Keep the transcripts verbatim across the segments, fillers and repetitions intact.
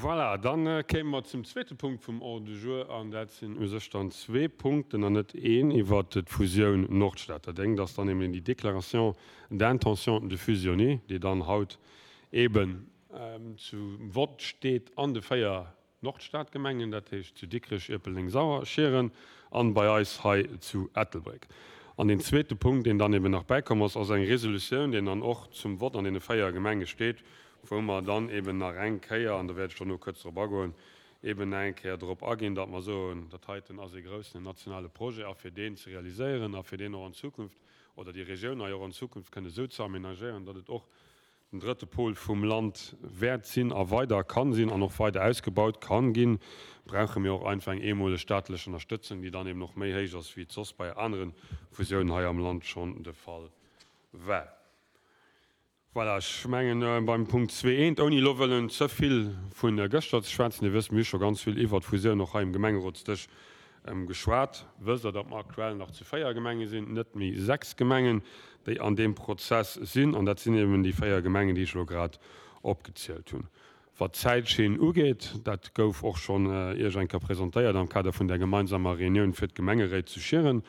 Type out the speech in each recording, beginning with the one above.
Voilà, dann kéime mer zum zweete Punkt vum Ordre du jour, an dat sinn u sech dann zwee Punkten an net een, iwwert d'Fusioun Nordstad. Dat engt ass dann eben déi Déclaration d'intention de fusionner, déi dann haut eben zum Vott steet an de véier Nordstadgemengen, dat heescht zu Dikrech, Ierpeldeng, Sauer, Schieren an bei eis hei zu Ettelbréck. An deen zweete Punkt, deen dann eben nach bäikomm ass, ass eng Resolutioun, déi dann och zum Vott an deene véier Gemenge steet, wou mer dann eben nach eng Kéier, an do wäert ech dono kuerz drop agoen, eben nach eng Kéier drop aginn, datt mer soen, dat heiten ass ee groussen nationale Projet a fir deen ze realiséieren a fir deen och an Zukunft oder déi Regioun hei och an Zukunft kënne esou ze aménagéieren, datt et och den drëtte Pol vum Land wäert sinn a weider kann sinn an och weider ausgebaut kann ginn, brauche mir och einfach eng eemoleg staatlech Ënnerstëtzung, déi dann eben och méi héich ass, wéi et soss bei anere Fusiounen hei am Land schonn de Fall war. Voilà, ech mengen, beim Punkt zwee eent, ouni elo wëllen ze vill vu gëschter ze schwätzen, Dir wësst, mir hu scho ganz vill iwwert d'Fusioun och hei um Gemengerotsdësch geschwat, wësst Der, datt mer aktuell nach zu véier Gemenge sinn, net méi sechs Gemengen, déi an deem Prozess sinn, an dat sinn eben déi véier Gemengen, déi ech elo grad opgezielt hunn. Wat d'Zäitschinn ugeet, dat gouf och schonn Iech eng Kéier presentéiert am Kader vun där gemeinsamer Reunioun fir d'Gemengeréit zu Schieren,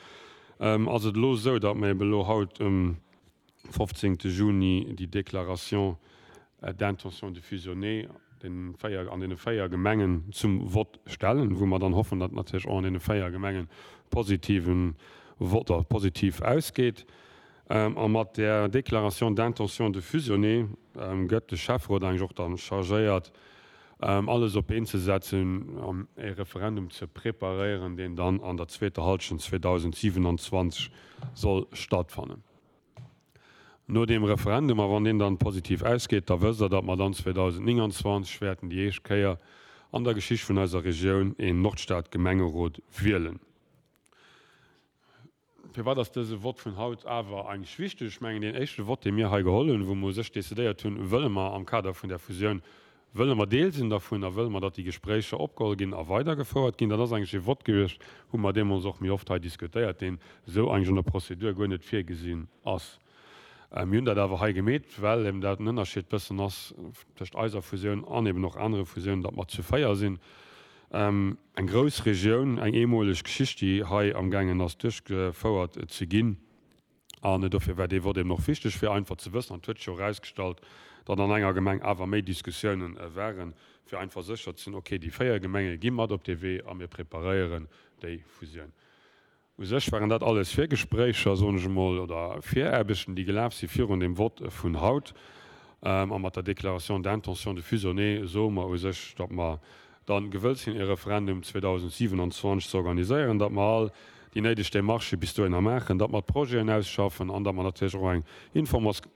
ass et elo esou, datt mer eben elo haut um fofzéngte Juni déi Déclaration d'intention de fusionner den véier, an deene véier Gemengen zum Vott stellen, wou mer dann hoffen, datt natierlech och an deene véier Gemengen positiven Vott oder positiv ausgeet. A mat där Déclaration d'intention de fusionner gëtt de Schäfferot eigentlech och dann chargéiert, alles op d'Been ze setzen an e Referendum ze preparéieren, deen dann an der zweeter Hallschent zweedausendsiewenanzwanzeg soll stattfannen. No deem Referendum, a wann deen dann positiv ausgeet, da wësst Der, datt mer dann zweedausendnénganzwanzeg wäerten déi éischt Kéier an der Geschicht vun eiser Regioun een Nordstad-Gemengerot wielen. Firwat ass dëse Vott vun haut awer eigentlech wichteg? Ech mengen, deen éischte Vott, dee mir hei geholl hunn, wou mer u sech decidéiert hunn, wëlle mer am Kader vun där Fusioun, wëlle mer Deel sinn dervun a wëlle mer, datt déi Gespréicher opgeholl ginn a weidergefouert ginn, dat ass eigentlech ee Vott gewiescht, hu mer deemools och méi oft hei diskutéiert, deen esou eigentlech an der Prozedur guer net virgesinn ass. Mir hunn dat awer hei gemeet, well eben dat en Ënnerscheed bëssen ass tëscht eiser Fusioun an eben och anere Fusiounen, datt mer zu véier sinn. Eng grouss Regioun, eng eemoleg Geschicht, déi hei amgaangen ass duerchgefouert ze ginn. An dofir war dee Vott eben och wichteg, fir einfach ze wëssen, an et huet sech jo erausgestallt, datt an enger Gemeng awer méi Diskussiounen waren, fir einfach sécher ze sinn, okay, déi véier Gemenge gi mat op dee Wee a mir preparéieren déi Fusioun. U sech waren dat alles Virgespréicher, soen ech emol, oder Viraarbechten, déi gelaf si virun deem Vott vun haut. A mat der Déclaration d'intention de fusionner soe mer u sech, datt mer da gewëllt sinn, e Referendum zweedausendsiewenanzwanzeg ze organiséieren, datt mer all déi néideg Démarchë bis dohinner maachen, datt mer d'Projeten ausschaffen an datt mer natierlech och eng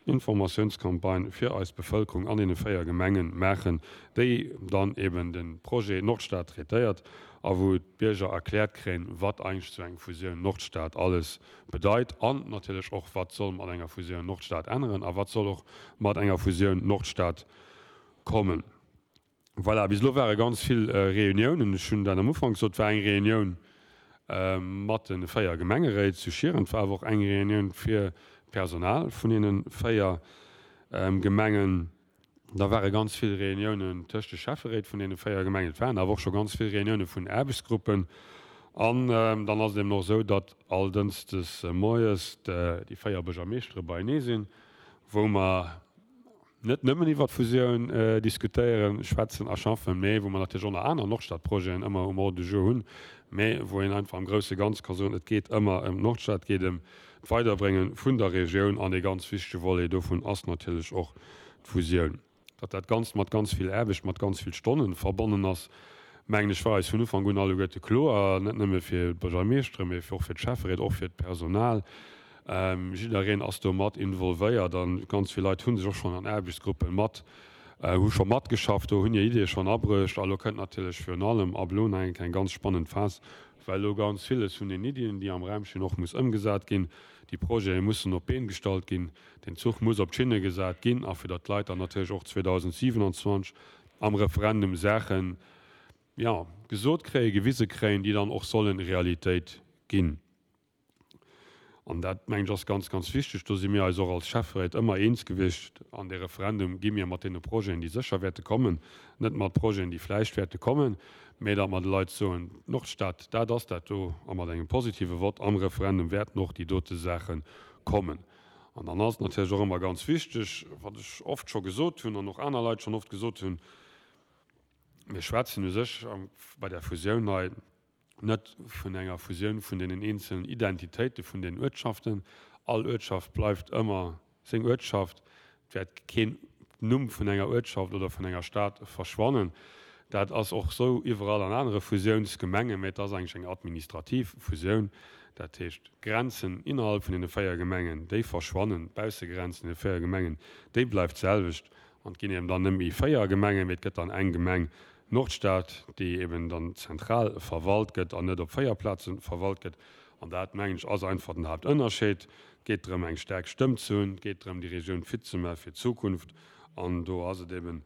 Informatiounscampagne fir eis Bevëlkerung an deene véier Gemenge maachen, déi dann eben de Projet Nordstad traitéiert a wou d'Bierger erkläert kréien, wat eigentlech esou eng Fusioun Nordstad alles bedeit an natierlech och, wat soll mat enger Fusioun Nordstad änneren a wat soll och mat enger Fusioun Nordstad kommen. Voilà, bis elo ware ganz vill Reuniounen. Ech hunn dat am Ufank gesot, et war eng Reunioun mat de véier Gemengeréit zu Schieren, et war awer och eng Reunioun fir d'Personal vun deene véier Gemengen. Da ware ganz vill Reuniounen tëscht de Schäfferéit vun deene véier Gemengen. Et waren awer och scho ganz vill Reunioune vun Aarbechtsgruppen. An dann ass et eben och esou, datt all Dënschdes moies déi véier Buergermeeschtere beienee sinn, wou mer net nëmmen iwwer d'Fusioun diskutéieren, schwätzen a schaffen, mä wou mer natierlech och nach aner Nordstadprojeten ëmmer um Ordre du jour hunn, mä wou een einfach am grousse Ganze ka soen, et geet ëmmer ëm d'Nordstad, et geet ëm d'Weiderbrénge vun der Regioun an ee ganz wichtege Volet dovun ass natierlech och d'Fusioun. Datt dat Ganzt mat ganz vill Aarbecht, mat ganz vill Stonnen verbonnen ass, mengen ech, war eis vun Ufank un alleguerte kloer, net nëmme fir d'Buergermeeschtere, mee och fir d'Schäfferéit, och fir d'Personal. Jiddereen ass do mat involvéiert a ganz vill Leit hu sech och schonn an Aarbechtsgruppe mat, hu scho matgeschafft do, hunn hir Iddie schonn abruecht. A lo kënnt natierlech virun allem ab elo nach eng Kéier eng ganz spannend Phas, well elo ganz villes vun den Iddien, déi am Raum stinn, och muss ëmgesat ginn. Déi Projete mussen op d'Been gestallt ginn, den Zuch muss op d'Schinne gesat ginn a fir datt d'Leit dann natierlech och zweedausendsiewenanzwanzeg am Referendum Saachen, jo, gesot kréien, gewise kréien, déi dann och sollen Realitéit ginn. An dat, mengen ech, ass ganz, ganz wichteg. Do si mir eis och als Schäfferéit ëmmer eens gewiescht, an dee Referendum gi mir mat deene Projeten, déi sécher wäerte kommen, net mat Projeten, déi vläicht wäerte kommen, mä datt mer de Leit soen, Nordstad, dat ass dat do, a mat engem positive Vott am Referendum wäerten och déi dote Saache kommen. An dann ass et natierlech och ëmmer ganz wichteg, wat ech oft scho gesot hunn an och aner Leit schonn oft gesot hunn, Mir schwätzen u sech bei där Fusioun hei net vun enger Fusioun vun deenen eenzelen Identitéite vun den Uertschaften. All Uertschaft bleift ëmmer seng Uertschaft. Et wäert keen Numm vun enger Uertschaft oder vun enger Stad verschwannen. Dat ass och esou iwwerall an anere Fusiounsgemengen, mä et ass eigentlech eng administrativ Fusioun. Dat heescht, d'Grenzen innerhalb vun deene véier Gemengen, déi verschwannen, d'Baussegrenz vun deene véier Gemengen, déi bleift d'selwecht. An et ginn eben dann net méi véier Gemengen, mee et gëtt dann eng Gemeng Nordstad, déi eben dann zentral verwalt gëtt an net op véier Plaze verwalt gëtt. An dat, mengen ech, ass einfach den Haaptënnerscheed. Et geet drëm, eng staark Stëmm ze hunn. Et geet drëm, déi Regioun fit ze maache fir d'Zukunft. An do ass et eben,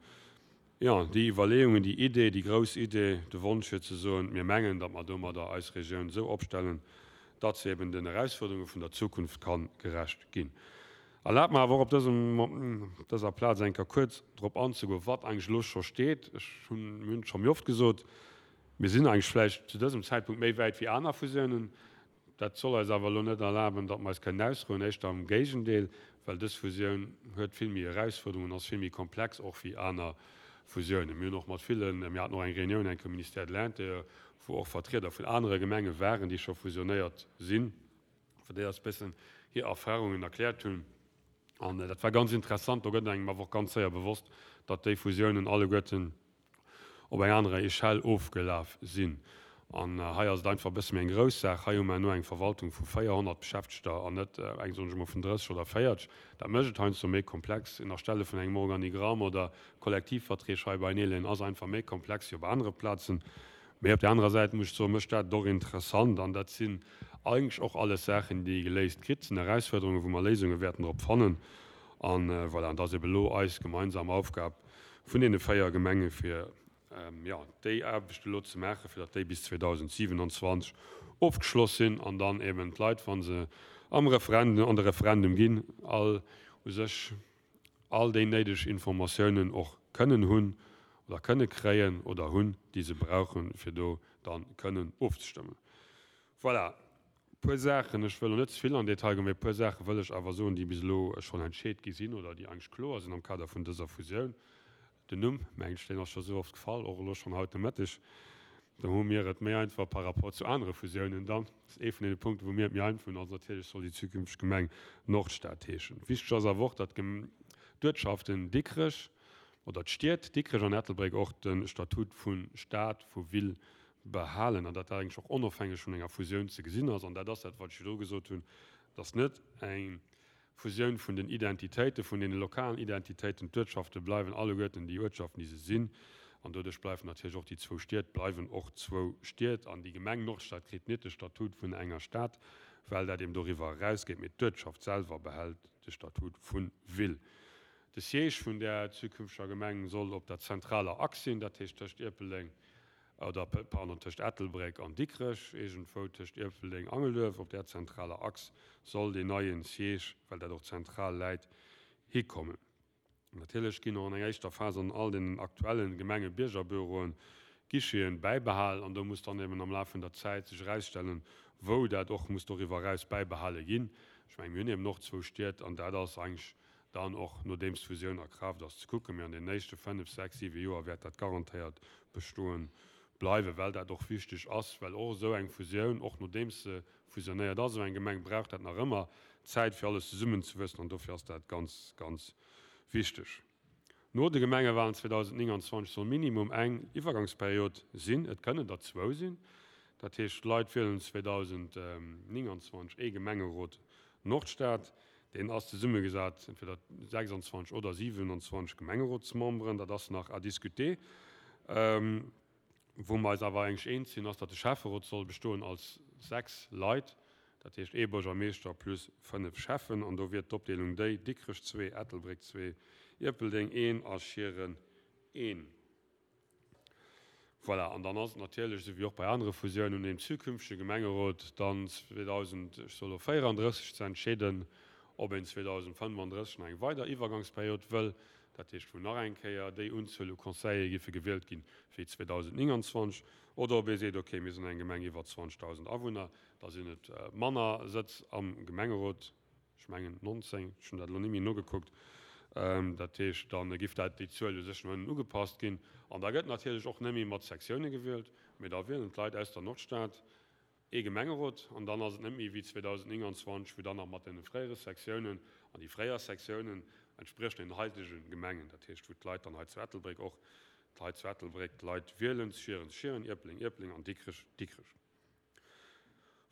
jo, déi Iwwerleeungen, déi Idee, déi grouss Idee, de Wonsch fir ze soen, mir mengen, datt mer domadder eis Regioun esou opstellen, datt se eben den Erausfuerderunge vun der Zukunft ka gerecht ginn. Erlaabt mer awer och op dësem, op dëser Plaz eng Kéier kuerz drop anzegoen, wat eigentlech elo scho steet. Ech hunn, mir hunn et scho méi oft gesot, mir sinn eigentlech vläicht zu dësem Zäitpunkt méi wäit wéi aner Fusiounen. Dat soll eis awer elo net erlaben, datt mer eis kënnen ausrouen, éischter am Géigendeel, well dës Fusioun huet vill méi Erausfuerderungen, ass vill méi komplex och wéi aner Fusiounen. Mir hunn och mat villen, mir haten och eng Reunioun eng Kéier um Ministère de l'Intérieur, wou och Vertrieder vun anere Gemenge waren, déi scho fusionéiert sinn, wou déi eis e bëssen hir Erfahrungen erkläert hunn. An dat war ganz interessant. Do gëtt engem awer och ganz séier bewosst, datt déi Fusiounen alleguerten op eng anerer Echelle ofgelaf sinn. An hei ass et einfach e bësse méi eng grouss Saach. Hei hu mer elo eng Verwaltung vu véierhonnert Beschäftegter an net eng, soen ech emol, vun drësseg oder véierzeg. Dat mécht et heiansdo méi komplex. Erstelle vun engem Organigramm oder Kollektivverträg hei bei Neelen ass einfach méi komplex wéi op anere Plazen. Mee op där anerer Säit muss ech soen, mécht dat et och interessant. An dat sinn eigentlech och alles Saachen, déi ee geléist kritt. Dat sinn Erausfuerderungen, wou mer Léisunge wäerten drop fannen. An voilà, an et ass ebe elo eis gemeinsam Aufgab vun deene véier Gemenge fir, jo, déi Aarbecht elo ze maachen, fir datt déi bis zweedausendsiwenanzwanzeg ofgeschloss sinn an dann eben d'Leit, wa se am Referendum, an de Referendum ginn, all u sech all déi néideg Informatiounen och kënnen hunn oder kënne kréien oder hunn, déi se brauchen, fir do da kënnen ofzestëmmen. Voilà, e puer Saachen, ech wëll elo net ze vill an Detail goen, mee e puer Saache wëll ech awer soen, déi bis elo schonn entscheet gi sinn oder déi eigentlech kloer sinn am Kader vun dëser Fusioun. Den Numm, mengen ech, deen ass scho sou oft gefall, och elo schonn haut de Mëtteg. Do hu mir et méi einfach par rapport zu anere Fusiounen dann. Dat ass ee vun deene Punkten, wou mir et méi einfach hunn. Also natierlech soll déi zukünfteg Gemeng Nordstad heeschen. Wichteg ass awer och, datt d'Uertschaften Dikrech oder d'Stied Dikrech an Ettelbréck och de Statut vu Stad, vu Ville behalen an datt dat eigentlech och onofhängeg vun enger Fusioun ze gesinn ass. An dat ass dat, wat ech virdru gesot hunn, datt net eng Fusioun vun den Identitéiten, vun deene lokalen Identitéiten, d'Uertschafte bleiwen alleguerten déi Uertschaften, déi se sinn, an doduerch bleiwen natierlech och déi zwou Stied bleiwen och zwou Stied an déi Gemeng Nordstad kritt net de Statut vun enger Stad, well dat eben doriwwer erausgeet, mee d'Uertschaft selwer behält de Statut vu Ville. De Siège vun där zukünfteger Gemeng soll op der zentraler Achs sinn, dat heescht tëscht Ierpeldeng, oder pardon, tëscht Ettelbréck an Dikrech, iergendwou tëscht Ierpeldeng, Angelduerf, op där zentraler Achs soll deen neie Siège, well dat och zentral läit, hikommen. Natierlech ginn och an enger éischter Phas an all deenen aktuelle Gemengebiergerbüroen Guicheten bäibehalen an do muss dann eben am Laf vun der Zäit sech erausstellen, wou dat och muss doriwwer eraus bäibehale ginn. Ech mengen, mir hunn eben och zwou Stied an dat ass eigentlech dann och, nodeems d'Fusioun a Kraaft ass, ze kucken. Mee an den éischte fënnef, sechs, siwe Joer wäert dat garantéiert bestoe bleiwen, well dat och wichteg ass, well och esou eng Fusioun, och nodeems se fusionéiert ass, esou eng Gemeng brauch dat nach ëmmer Zäit, fir alles zesummenzewuessen an dofir ass dat ganz, ganz wichteg. No de Gemengewalen zweedausendnénganzwanzeg soll minimum eng Iwwergangsperiod sinn, et kënnen der zwou sinn. Dat heescht, d'Leit wielen zweedausendnénganzwanzeg ee Gemengerot Nordstad. Deen ass zesummegesat entweder sechsanzwanzeg oder siwenanzwanzeg Gemengerotsmemberen, dat ass nach à discuter. Wou mer eis awer eigentlech eens sinn, ass, datt de Schäfferot soll bestoen als sechs Leit, dat heescht ee Buergermeeschter plus fënnef Schäffen. An do wier d'Opdeelung déi, Dikrech zwee, Ettelbréck zwee, Ierpeldeng een a Schieren een. Voilà, an dann ass et natierlech, esou wéi och bei anere Fusiounen, un deem zukünftege Gemengerot dann zweedausend, ech soe lo véierandrësseg, ze entscheeden, ob een zweedausendfënnefandrësseg nach eng weider Iwwergangsperiod wëll, dat heescht wou nach eng Kéier déi Unzuel u Conseillere giffe gewielt ginn wéi zweedausendnénganzwanzeg, oder ob ee seet, okay, mir sinn eng Gemeng iwwer zwanzegdausend Awunner, da sinn et manner Sëtz am Gemengerot, ech mengen nonzéng, ech hunn dat elo net méi nogekuckt, dat heescht, da giff dat, déi Zuel u sech no ënnen ugepasst ginn. An da gëtt natierlech och net méi mat Sektioune gewielt, mee da wielen d'Leit aus der Nordstad ee Gemengerot. An dann ass et net méi wéi zweedausendnénganzwanzeg, wou dann nach mat deene fréiere Sektiounen, an déi fréier Sektiounen entspriechen den haitege Gemengen, dat heescht wou d'Leit dann hei zu Ettelbréck och, hei zu Ettelbréck d'Leit wielen, Schieren, Schieren, Ierpeldeng, Ierpeldeng an Dikrech, Dikrech.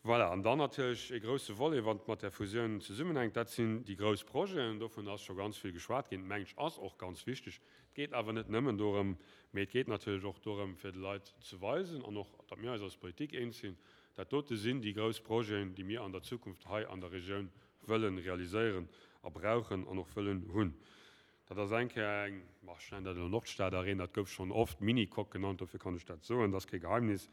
Voilà, an dann natierlech ee grousse Volet, wann et mat där Fusioun zesummenhänkt, dat sinn déi grouss Projeten. Dovun ass scho ganz vill geschwat ginn. Mengt ech, ass och ganz wichteg. Et geet awer net nëmmen dorëm, mee et geet natierlech och dorëm, fir de Leit ze weisen an och, datt mir eis als Politik eens sinn, dat dote sinn déi grouss Projeten, déi mir an der Zukunft hei an der Regioun wëlle realiséieren a brauchen an och wëllen hunn. Dat ass eng Kéier eng, ma ech nennen dat elo Nordstad-Arena, dat gouf schonn oft Mini-Coque genannt, dofir kann ech dat soen, dat ass kee Geheimnis.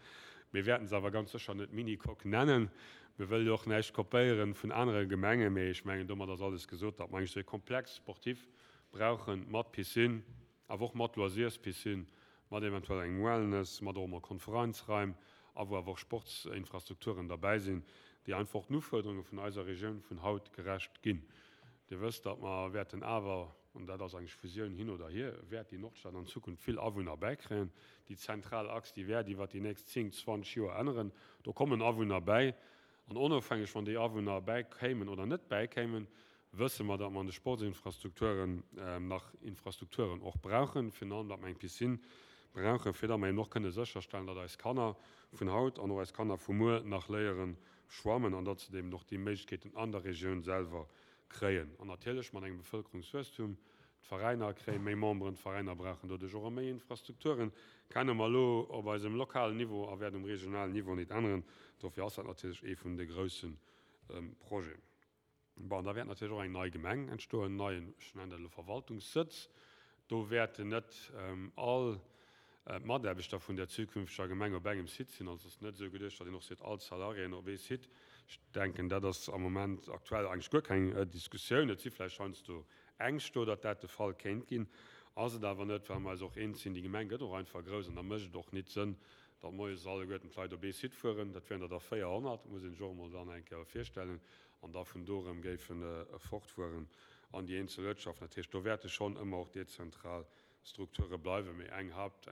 Mir wäerten se awer ganz sécher net Mini-Coque nennen. Mir wëlle jo och näischt kopéieren vun anere Gemengen, mee ech mengen, domat ass alles gesot, datt mer eigentlech esou e Complexe sportif brauchen, mat Piscine, awer och mat Loisirspiscine, mat eventuell engem Wellness, mat och emol Konferenzraim a wou awer och Sportsinfrastrukturen derbäi sinn, déi einfach och den Ufuerderunge vun eiser Regioun vun haut gerecht ginn. Dir wësst, datt mer wäerten awer, an dat ass eigentlech Fusioun hin oder hier, wäert déi Nordstad an Zukunft vill Awunner bäikréien. Déi zentral Achs, déi wäert iwwert déi nächst zéng, zwanzeg Joer änneren. Do kommen Awunner bäi. An onofhängeg, wann déi Awunner bäikéimen oder net bäikéimen, wësse mer, datt mer an de Sportsinfrastrukturen nach Infrastrukturen och brauchen, virun allem datt mer eng Piscine brauchen, fir datt mer eben och kënne sécherstellen, datt eis Kanner vun haut an och eis Kanner vu muer nach léiere schwammen an datt se eben och déi Méiglechkeeten an der Regioun selwer kréien. An natierlech mat engem Bevëlkerungswuesstum, d'Veräiner kréie méi Memberen, d'Veräiner brauchen doduerch och méi Infrastrukturen, kenne mer elo op eisem lokalen Niveau a wäert um regionalen Niveau nit änneren. Dofir ass dat natierlech ee vun de grousse Projeten. Bon, da wäert natierlech och eng nei Gemeng entstoen, en neien, ech nennen dat elo Verwaltungssëtz. Do wäerten net all d'Mataarbechter vun der zukünfteger Gemeng op engem Site sinn. Also et ass net esou geduecht, datt een och seet, all d'Salariéen op ee Site. Ech denken, dat ass am Moment aktuell eigentlech guer keng Diskussioun. Et si vläicht heiansdo Ängscht do, datt dat de Fall kéint ginn. Ass et awer net, well mer eis och eens sinn, déi Gemeng gëtt och einfach grouss an da mécht et och nit Sënn, datt moies alleguerten d'Leit op ee Site fueren. Dat wären der da véierhonnert, muss een sech och emol dann eng Kéier virstellen, an da vun do erëm géifen fortfueren an déi eenzel Uertschaften. Dat heescht, do wäerte schonn ëmmer och dezentral Strukture bleiwen, mee eng Haupt,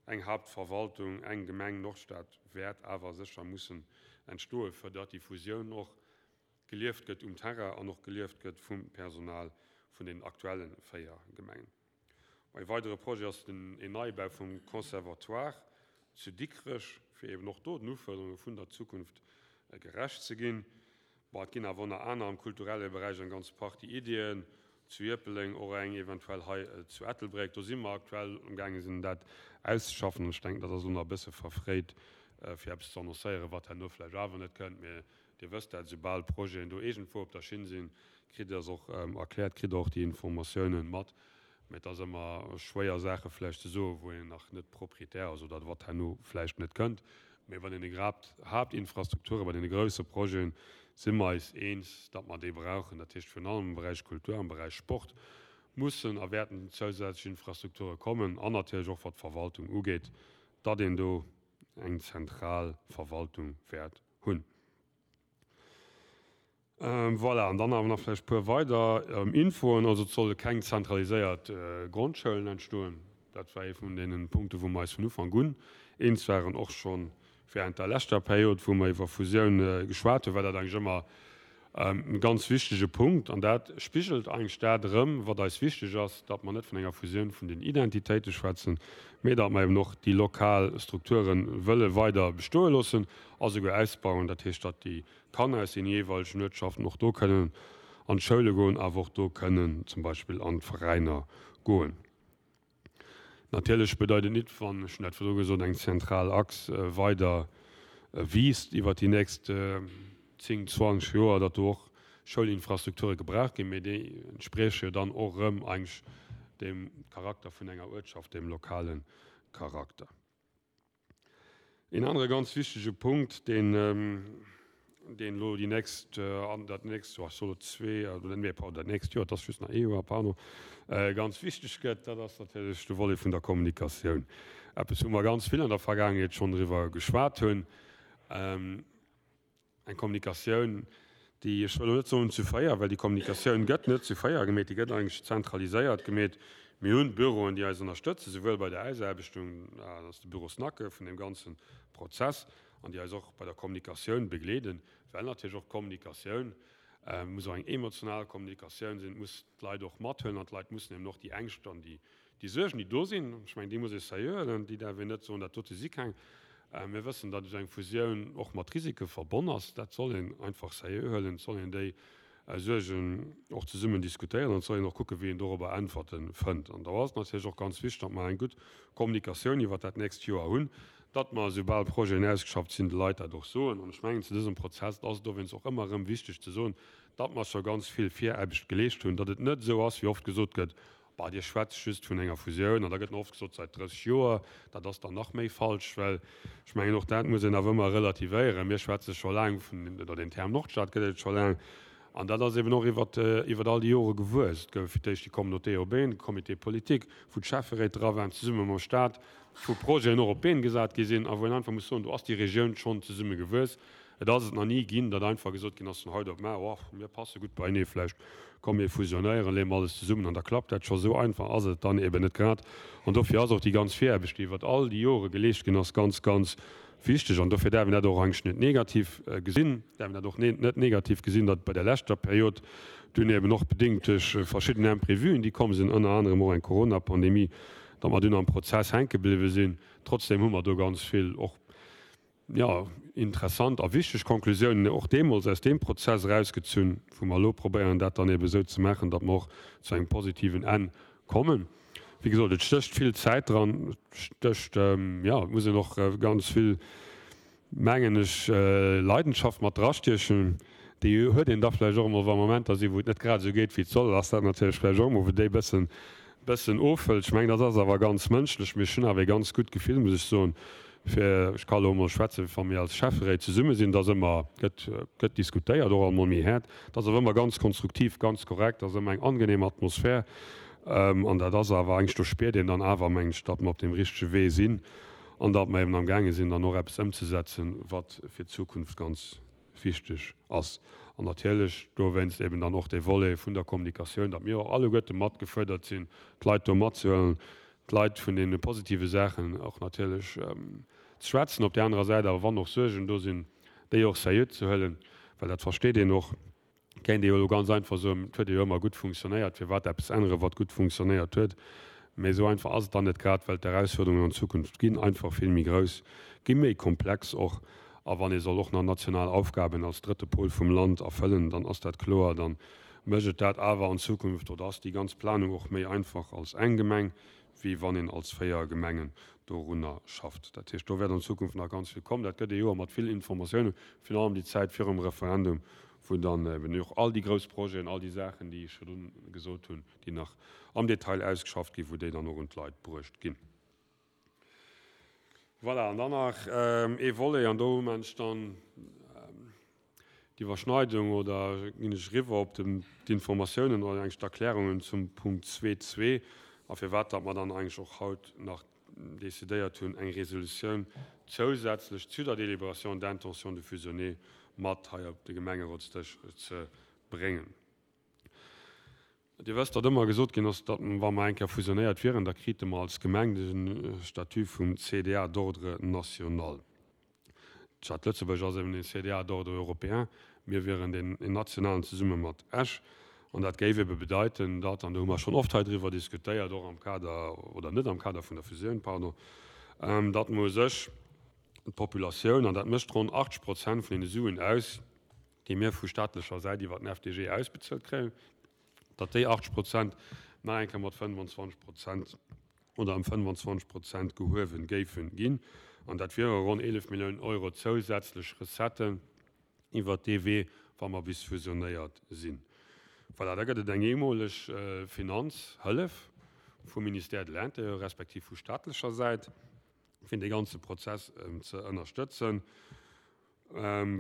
eng Hauptverwaltung, eng Gemeng Nordstad wäert awer sécher mussen entstoen, fir datt déi Fusioun och gelieft gëtt um Terrain an och gelieft gëtt vum Personal vun den aktuelle véier Gemengen. E weidere Projet ass den een Neibau vum Conservatoire zu Dikrech, fir eben och do den Ufuerderunge vun der Zukunft gerecht ze ginn. Bon, et ginn awer ënner aner am kulturelle Beräich eng ganz Partie Iddien, zu Ierpeldeng, och eng eventuell hei zu Ettelbréck. Do si mer aktuell amgaange sinn, dat auszeschaffen. An ech denken, dat ass elo nach e bësse verfréit, fir eppes ze annoncéieren, wat herno vläicht awer net kënnt. Mee Dir wësst dat, soubal Projeten do iergendwou op der Schinn sinn, kritt Dir se och erkläert, kritt Der och déi Informatiounen mat. Mä et ass ëmmer schwéier, Saache vläicht ze soen, wou een nach net Proprietär ass oder wat herno vläicht net kënnt. Mä bei deene Haaptinfrastrukture, bei deene grousse Projeten si mer eis eens, datt mer déi brauchen. Dat heescht, virun allem am Beräich Kultur, am Beräich Sport mussen a wäerten zousätzlech Infrastrukture kommen an natierlech och wat d'Verwaltung ugeet, datt een do eng zentral Verwaltung wäert hunn. Voilà, an dann awer nach vläicht e puer weider Infoen. Also et solle keng zentraliséiert Grondschoulen entstoen. Dat war ee vun deene Punkte wou mer eis vun Ufank un eens waren, och scho während der leschter Period, wou mer iwwer Fusioun geschwat hunn, war dat eigentlech ëmmer e ganz wichtege Punkt. An dat spigelt eigentlech dat erëm, wat eis wichteg ass, datt mer net vun enger Fusioun vun den Identitéite schwätzen, mee datt mer eben och déi lokal Strukture wëlle weider bestoe loossen a souguer ausbauen. Dat heescht, datt déi Kanner aus den jeeweilegen Uertschaften och do kënnen an d'Schoule goen, awer och do kënnen zum Beispill an d'Veräiner goen. Natierlech bedeit et nit, wann, ech hunn dat virdru gesot, eng zentral Achs weider wiisst iwwert déi nächst zéng, zwanzeg Joer, datt do och Schoulinfrastrukture gebraucht ginn, mee déi entsprieche jo dann och erëm eigentlech dem Charakter vun enger Uertschaft, dem lokale Charakter. Een anere ganz wichtege Punkt, deen, deen elo déi nächst, dat nächst Joer, ech soe lo zwee, oder nee, pardon, dat nächst Joer, et ass just nach ee Joer, pardon, ganz wichteg gëtt, dat ass natierlech de Volet vun der Kommunikatioun. Eppes, wou mer ganz vill an der Vergaangenheet schonn driwwer geschwat hunn. Eng Kommunikatioun, déi, ech wëll elo net soen zu véier, well déi Kommunikatioun gëtt net zu véier gemeet, déi gëtt eigentlech zentraliséiert gemeet. Mir hunn Büroen, déi eis ënnerstëtzen, souwuel bei der Ausaarbechtung, dat ass de Büro SNACE vun deem ganze Prozess, an déi eis och bei der Kommunikatioun begleeden, well natierlech och d'Kommunikatioun muss och eng emotional Kommunikatioun sinn, muss d'Leit och mathuelen an d'Leit mussen eben och déi Ängscht an déi Déi Suergen, déi do sinn, ech mengen, déi muss ee seriö huelen, déi däerf een net soen, dat dote si keng. Mir wëssen, datt esou eng Fusioun och mat Risike verbonn ass. Dat soll een einfach seriö huelen. Et soll een déi Suergen och zesummen diskutéieren an et soll een och kucken, wéi een dorobber Äntwerte fënnt. An do ass et natierlech och ganz wichteg, datt mer eng gutt Kommunikatioun iwwert dat nächst Joer hunn, datt mer, esoubal Projeten ausgeschafft sinn, de Leit dat och soen. An ech mengen, zu dësem Prozess ass et dowéinst och ëmmer erëm wichteg ze soen, datt mer scho ganz vill Viraarbecht geleescht hunn, datt et net esou ass, wéi oft gesot gëtt, Bah, Dir schwätzt just vun enger Fusioun, an da gëtt nach oft gesot, säit drësseg Joer. Dat ass dann nach méi falsch, well ech mengen, och dat muss een awer ëmmer relativéieren. Mir schwätze scho laang vun, oder deen Term Nordstad gëtt et scho laang, an dat ass eben och iwwer, iwwer all déi Jore gewuess. Et gouf fir d'éischt déi Communauté urbaine, de Comité politique, wou d'Schäfferéit dra waren, zesumme mam Stat, wou Projeten och op d'Been gesat gi sinn a wou een einfach muss soen, do ass déi Regioun schonn zesumme gewuess. Et ass et nach ni ginn, datt einfach gesot ginn ass vun haut op mar, Oh, mir passe gutt beienee, vläicht komm mir fusionéieren, leeë mer alles zesummen an da klappt dat scho. Esou einfach ass et dann eben net grad. An dofir ass och déi ganz Viraarbecht, déi iwwert all déi Jore geleescht ginn ass, ganz, ganz wichteg. An dofir däerf een dat och eigentlech net negativ gesinn, däerf een dat och net negativ gesinn, datt bei der leschter Period dunn eben och bedéngt duerch verschidden Imprévuen, déi komm sinn, ënner anerem och eng Coronapandemie, datt mer dunn am Prozess hänke bliwwe sinn. Trotzdem hu mer do ganz vill och, jo, interessant a wichteg Konklusiounen och deemools aus deem Prozess erausgezunn, wou mer elo probéieren, dat dann ebe esou ze maachen, datt mer och zu engem positiven Enn kommen. Wéi gesot, et stécht vill Zäit dran, et stécht, jo, et muss een och ganz vill, mengen ech, Leidenschaft mat drastiechen. Déi huet een da vläicht och emol, wa Momenter sinn, wou et net grad esou geet, wéi et soll, ass dat natierlech vläicht och emol, wou déi e bëssen, bëssen ofhëlt. Ech mengen, dat ass awer ganz mënschlech. Mee ech hunn awer ee ganz gutt Gefill, muss ech soen, fir, ech ka elo emol schwätzen, wa mir als Schäfferéit zesumme sinn, da ass ëmmer, gëtt, gëtt diskutéiert, och alt mol méi haart. Dat ass awer ëmmer ganz konstruktiv, ganz korrekt, ass ëmmer eng angenehm Atmosphär. An dat ass awer eigentlech, do spiert een dann awer, mengen ech, datt mer op deem richtege Wee sinn an datt mer eben amgaange sinn, dann och eppes ëmzesetzen, wat fir d'Zukunft ganz wichteg ass. An natierlech dowéinst eben dann och dee Volet vun der Kommunikatioun, datt mir och alleguerte mat gefuerdert sinn, d'Leit do matzehuelen, d'Leit vun deene positive Saachen och natierlech ze schwätzen, op där anerer Säit awer, wann och Suergen do sinn, déi och seriö ze huelen, well dat versteet een och. Kéint ee jo elo ganz einfach soen, et huet jo ëmmer gutt funktionéiert, firwat eppes änneren, wat gutt funktionéiert huet? Mee esou einfach ass et dann net, grad well d'Erausfuerderungen an Zukunft ginn einfach vill méi grouss, gi méi komplex och. A wann ee soll och nach national Aufgaben als drëtte Pol vum Land erfëllen, dann ass dat kloer, dann mécht et dat awer an Zukunft oder ass déi ganz Planung och méi einfach als eng Gemeng, wéi wann een als véier Gemengen dorunner schafft. Dat heescht, do wäert an Zukunft nach ganz vill kommen. Dat gëtt ee Joer mat vill Informatiounen, virun allem déi Zäit virum Referendum, wou dann eben och all déi grouss Projeten, all déi Saachen, déi ech virdrun gesot hunn, déi nach am Detail ausgeschafft ginn, wou déi dann och un d'Leit bruecht ginn. Voilà, an dann nach ee Volet, an do hu mer dann d'Iwwerschneidung oder ginn ech eriwwer op d'Informatiounen oder eigentlech d'Erklärungen zum Punkt zwee zwee a firwat datt mer dann eigentlech och haut nach decidéiert hunn, eng Resolutioun zousätzlech zu der Délibération d'intention de fusionner mat hei op de Gemengerotsdësch ze bréngen. Dir wësst, datt ëmmer gesot ginn ass, datt wa mer eng Kéier fusionéiert wieren, da krite mer als Gemeng de Statut vum C D A d'ordre national. D'Stad Lëtzebuerg ass eben een C D A d'ordre européen, mir wieren deen een nationalen zesumme mat Esch. An dat géif ebe bedeiten, datt, an do hu mer schonn oft hei driwwer diskutéiert, och am Kader, oder net am Kader vun der Fusioun, pardon, datt mer u sech d'Populatioun, an dat mécht ronn achtzeg Prozent vun deene Suen aus, déi mir vu staatlecher Säit iwwer den F D G ausbezuelt kréien, datt déi achtzeg Prozent nach eng Kéier mat fënnefanzwanzeg Prozent oder ëm fënnefanzwanzeg Prozent gehuewe géife ginn. An dat wiere ronn eelef Milliounen Euro zousätzlech Recetten iwwert dee Wee, wa mer bis fusionéiert sinn. Voilà, da gëtt et eng eemoleg Finanzhëllef vum Ministère de l'Intérieur respektiv vu staatlecher Säit. fir dee ganze Prozess ze ënnerstëtzen,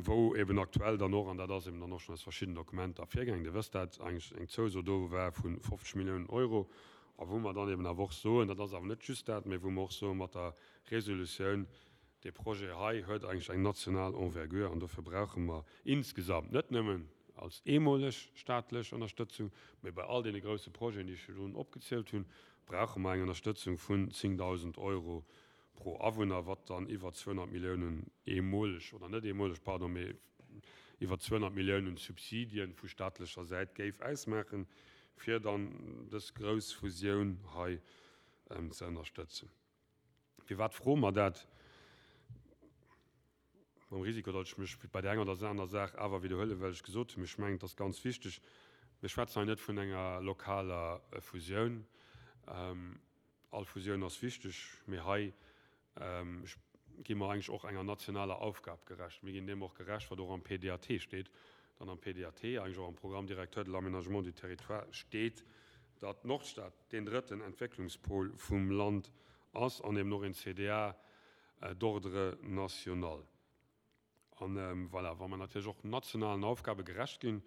wou eben aktuell dann och, an dat ass eben dann och schonn aus verschiddenen Dokumenter ervirgaangen, Dir wësst dat, eigentlech eng Zouso do war vu fofzeg Milliounen Euro a wou mer dann eben awer och soen, dat ass awer net just dat, mä wou mer och soen mat der Resolutioun, dee Projet hei huet eigentlech eng national Envergure an dofir brauche mer insgesamt net nëmmen als eemoleg staatlech Ënnerstëtzung, mä bei all deene grousse Projeten, déi ech virdrun opgezielt hunn, brauche mer eng Ënnerstëtzung vun zéngdausend Euro pro Awunner, wat dann iwwer zweehonnert Milliounen eemoleg, oder net eemoleg, pardon, mä iwwer zweehonnert Milliounen Subsidien vu staatlecher Säit géif ausmaachen, fir dann dës grouss Fusioun hei ze ënnerstëtzen. Firwat froe mer dat? Mam Risiko, datt ech mech bei där enger oder aner Saach awer widderhuelen, well ech gesot hunn, ech mengen, et ass ganz wichteg, mir schwätzen hei net vun enger lokaler Fusioun. All Fusioun ass wichteg, mee hei gi mer eigentlech och enger nationaler Aufgab gerecht. Mir ginn deem och gerecht, wat och am P D A T steet. Dann am P D A T, eigentlech och am Programme directeur de l'aménagement du territoire steet, datt d'Nordstad deen drëtten Entwécklungspol vum Land ass an eben och een C D A d'ordre national. An voilà, wa mer natierlech och nationalen Aufgabe gerecht ginn,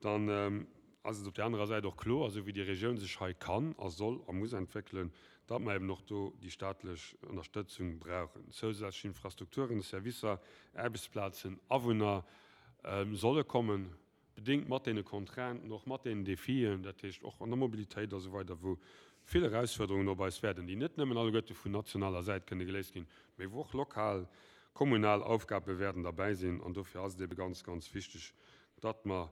dann ass et op där anerer Säit och kloer, esou wéi déi Regioun sech hei kann a soll a muss entwéckelen, datt mer eben och do déi staatlech Ënnerstëtzung brauchen. Zousätzlech Infrastrukturen, Servicer, Aarbechtsplazen, Awunner solle kommen, bedéngt mat deene Contrainten, och mat deenen Defien, dat heescht och an der Mobilitéit a sou weider, wou vill Erausfuerderungen op eis wäerten, déi net nëmmen alleguerte vun nationaler Säit kënne geléist ginn, mee wou och lokal, kommunal Aufgabe wäerten derbäi sinn. An dofir ass et ebe ganz, ganz wichteg, datt mer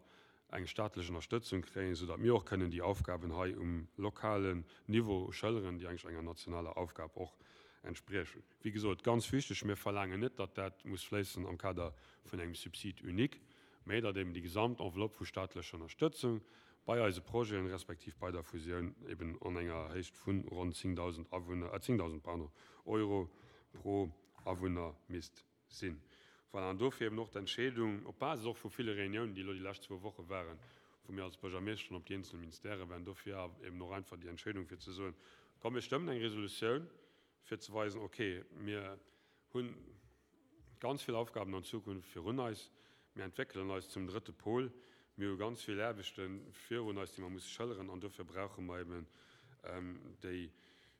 eng staatlech Ënnerstëtzung kréien, soudatt mir och kënnen déi Aufgaben hei um lokalen Niveau schëlleren, déi eigentlech enger nationaler Aufgab och entspriechen. Wéi gesot, ganz wichteg, mir verlaangen net, datt dat muss fléissen am Kader vun engem Subside unique, mä datt eben déi gesamt Enveloppe vu staatlecher Ënnerstëtzung bei eise Projeten, respektiv bei der Fusioun eben an enger Héicht vu ronn zéngdausend Awunner, äh, zéngdausend, pardon, Euro pro Awunner misst sinn. Voilà, an dofir eben och d'Entscheedung, op Basis och vu ville Reuniounen, déi elo déi lescht zwou Woche waren, wou mir als Buergermeeschteren op déi eenzel Ministèrë waren, dofir eben och einfach déi Entscheedung fir ze soen, komm mir stëmmen eng Resolutioun, fir ze weisen, okay, mir hu ganz vill Aufgaben an Zukunft virun eis, mir entwéckelen eis zum drëtte Pol, mir hu ganz vill Aarbechte virun eis, déi mer musse schëlleren, an dofir brauche mer eben déi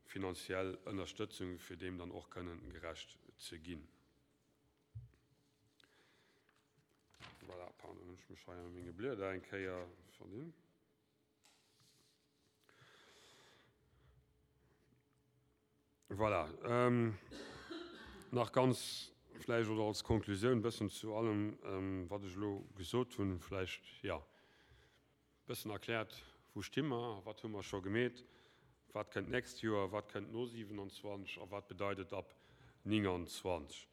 finanziell Ënnerstëtzung, fir deem dann och kënnen gerecht ze ginn. Voilà, pardon, hunn ech mech hei a menge Blieder eng Kéier verdinn. Voilà, nach ganz vläicht oder als Konklusioun e bëssen zu allem, wat ech elo gesot hunn, vläicht, jo, e bëssen erkläert, wou sti mer, wat hu mer scho gemeet, wat kënnt d'nächst Joer, wat kënnt no siewenundzwanzeg a wat bedeit et ab nénganzwanzeg.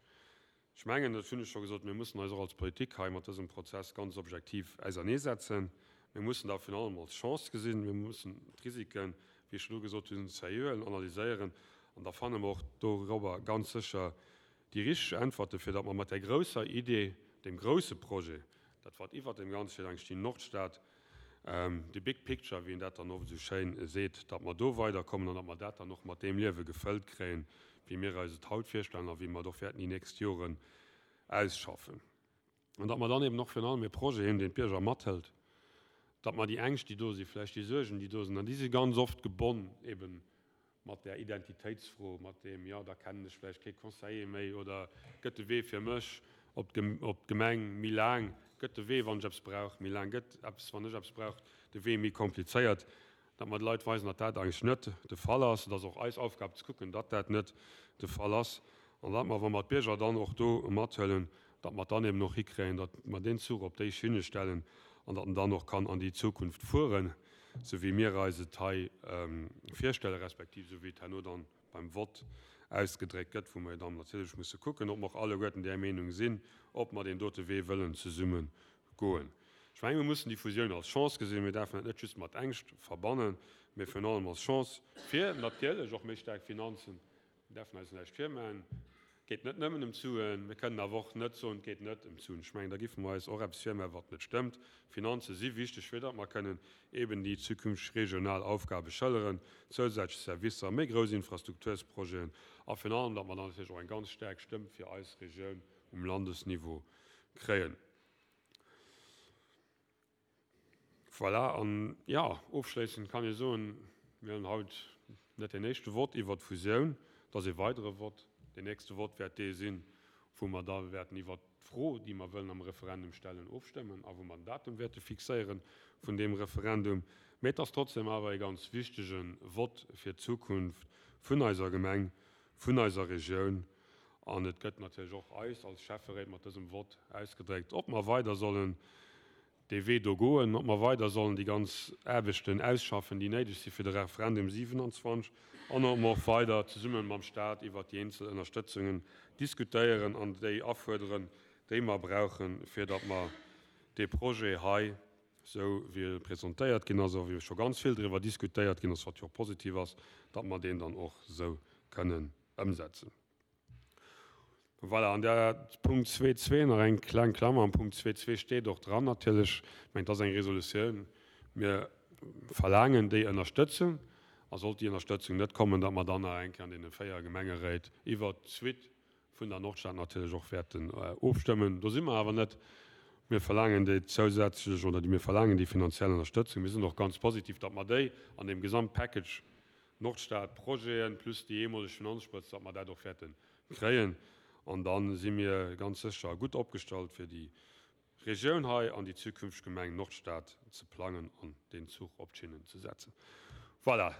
Ech mengen, dat hunn ech scho gesot, mir mussen eis och als Politik hei mat dësem Prozess ganz objektiv auserneesetzen. Mir mussen dat virun allem als Chance gesinn. Mir mussen d'Risiken, wéi ech elo gesot hunn, seriö analyséieren. An da fanne mer och dorobber ganz sécher déi richteg Äntwerte, fir datt mer mat där grousser Idee, deem grousse Projet, dat wat iwwert deem Ganze steet, eigentlech déi Nordstad, de big picture, wéi een dat dann oft esou schéin seet, datt mer do weiderkommen an datt mer dat dann och mat deem Liewe gefëllt kréien, wéi mir eis et haut virstellen a wéi mer et och wäerten déi nächst Joren ausschaffen. An datt mer dann eben och virun allem e Projet hunn, deen d'Bierger mathëlt, datt mer déi Ängscht, déi do sinn, vläicht déi Suergen, déi do sinn, an déi si ganz oft gebonn eben mat där Identitéitsfro, mat deem, jo, da kennen ech vläicht kee Conseiller méi oder gëtt de Wee fir mech op d'Gemeng méi laang, gëtt de Wee, wann ech eppes brauch, méi laang, gëtt eppes, wann ech eppes brauch, de Wee méi komplizéiert, datt mer de Leit weisen, datt dat eigentlech net de Fall ass. Et ass och eis Aufgab ze kucken, datt dat net de Fall ass an datt mer, wa mer d'Bierger dann och do mathuelen, datt mer dann eben och hikréien, datt mer deen Zuch op déi Schinne stellen an datt en dann och kann an déi Zukunft fueren, sou wéi mir eis et hei virstellen, respektiv sou wéi et herno dann beim Vott ausgedréckt gëtt, wou mer jo dann natierlech musse kucken, ob mer och alleguerten där Meenung sinn, ob mer deen dote Wee wëllen zesumme goen. Ech mengen, mir mussen déi Fusioun als Chance gesinn. Mir däerfen dat net just mat Ängscht verbannen, mee virun allem als Chance fir natierlech och méi staark Finanzen. Mir däerfen eis näischt virmaachen. Et geet net nëmmen ëm d'Suen, mir kënnen awer och net soen, et geet net ëm d'Suen. Ech mengen, da géife mer eis och eppes virmaachen, wat net stëmmt. Finanze si wichteg, fir datt mer kënnen eben déi zukünfteg regional Aufgabe schëlleren, zousätzlech Servicer, méi grouss Infrastruktursprojeten a virun allem, datt mer dann natierlech och eng ganz staark Stëmm fir eis Regioun um Landesniveau kréien. Voilà, an jo, ofschléissend kann ee soen, mir hunn haut net deen éischte Vott iwwert d'Fusioun, et ass ee weidere Vott. Deen nächste Vott wäert dee sinn, wou mer da wäerten iwwert d'Fro, déi mer wëllen am Referendum stellen, ofstëmmen a wou mer den Datum wäerte fixéiere vun deem Referendum. Mee et ass trotzdem awer ee ganz wichtege Vott fir d'Zukunft vun eiser Gemeng, vun eiser Regioun. An et gëtt natierlech och eis als Schäfferéit mat dësem Vott ausgedréckt, ob mer weider sollen dee Wee do goen, ob mer weider sollen déi ganz Aarbechten ausschaffen, déi néideg si fir de Referendum siwenanzwanzeg, an ob mer och weider zesumme mam Stat iwwert déi eenzel Ënnerstëtzungen diskutéieren an déi afuerderen, déi mer brauchen, fir datt mer dee Projet hei, esou wéi e presentéiert ginn ass a wéi scho ganz vill driwwer diskutéiert ginn ass, wat jo och positiv ass, datt mer deen dann och esou kënnen ëmsetzen. Voilà, an der Punkt zwee zwee nach eng kleng Klammer, am Punkt zwee zwee steet och dran natierlech, ech mengen, et ass eng Resolutioun, mir verlaangen déi Ënnerstëtzung, a sollt déi Ënnerstëtzung net kommen, datt mer dann nach eng Kéier an deene véier Gemengeréit iwwert d'Suite vun der Nordstad natierlech och wäerten ofstëmmen. Do si mer awer net. Mir verlaangen déi zousätzlech oder mir verlaangen déi finanziell Ënnerstëtzung. Mir sinn och ganz positiv, datt mer déi an deem Gesamtpackage Nordstad-Projeten plus déi eemoleg Finanzsprëtz, datt mer dat och wäerte kréien. An da si mir ganz sécher gutt opgestallt, fir déi Regioun hei an déi zukünfteg Gemeng Nordstad ze plangen an deen Zuch op d'Schinnen ze setzen. Voilà,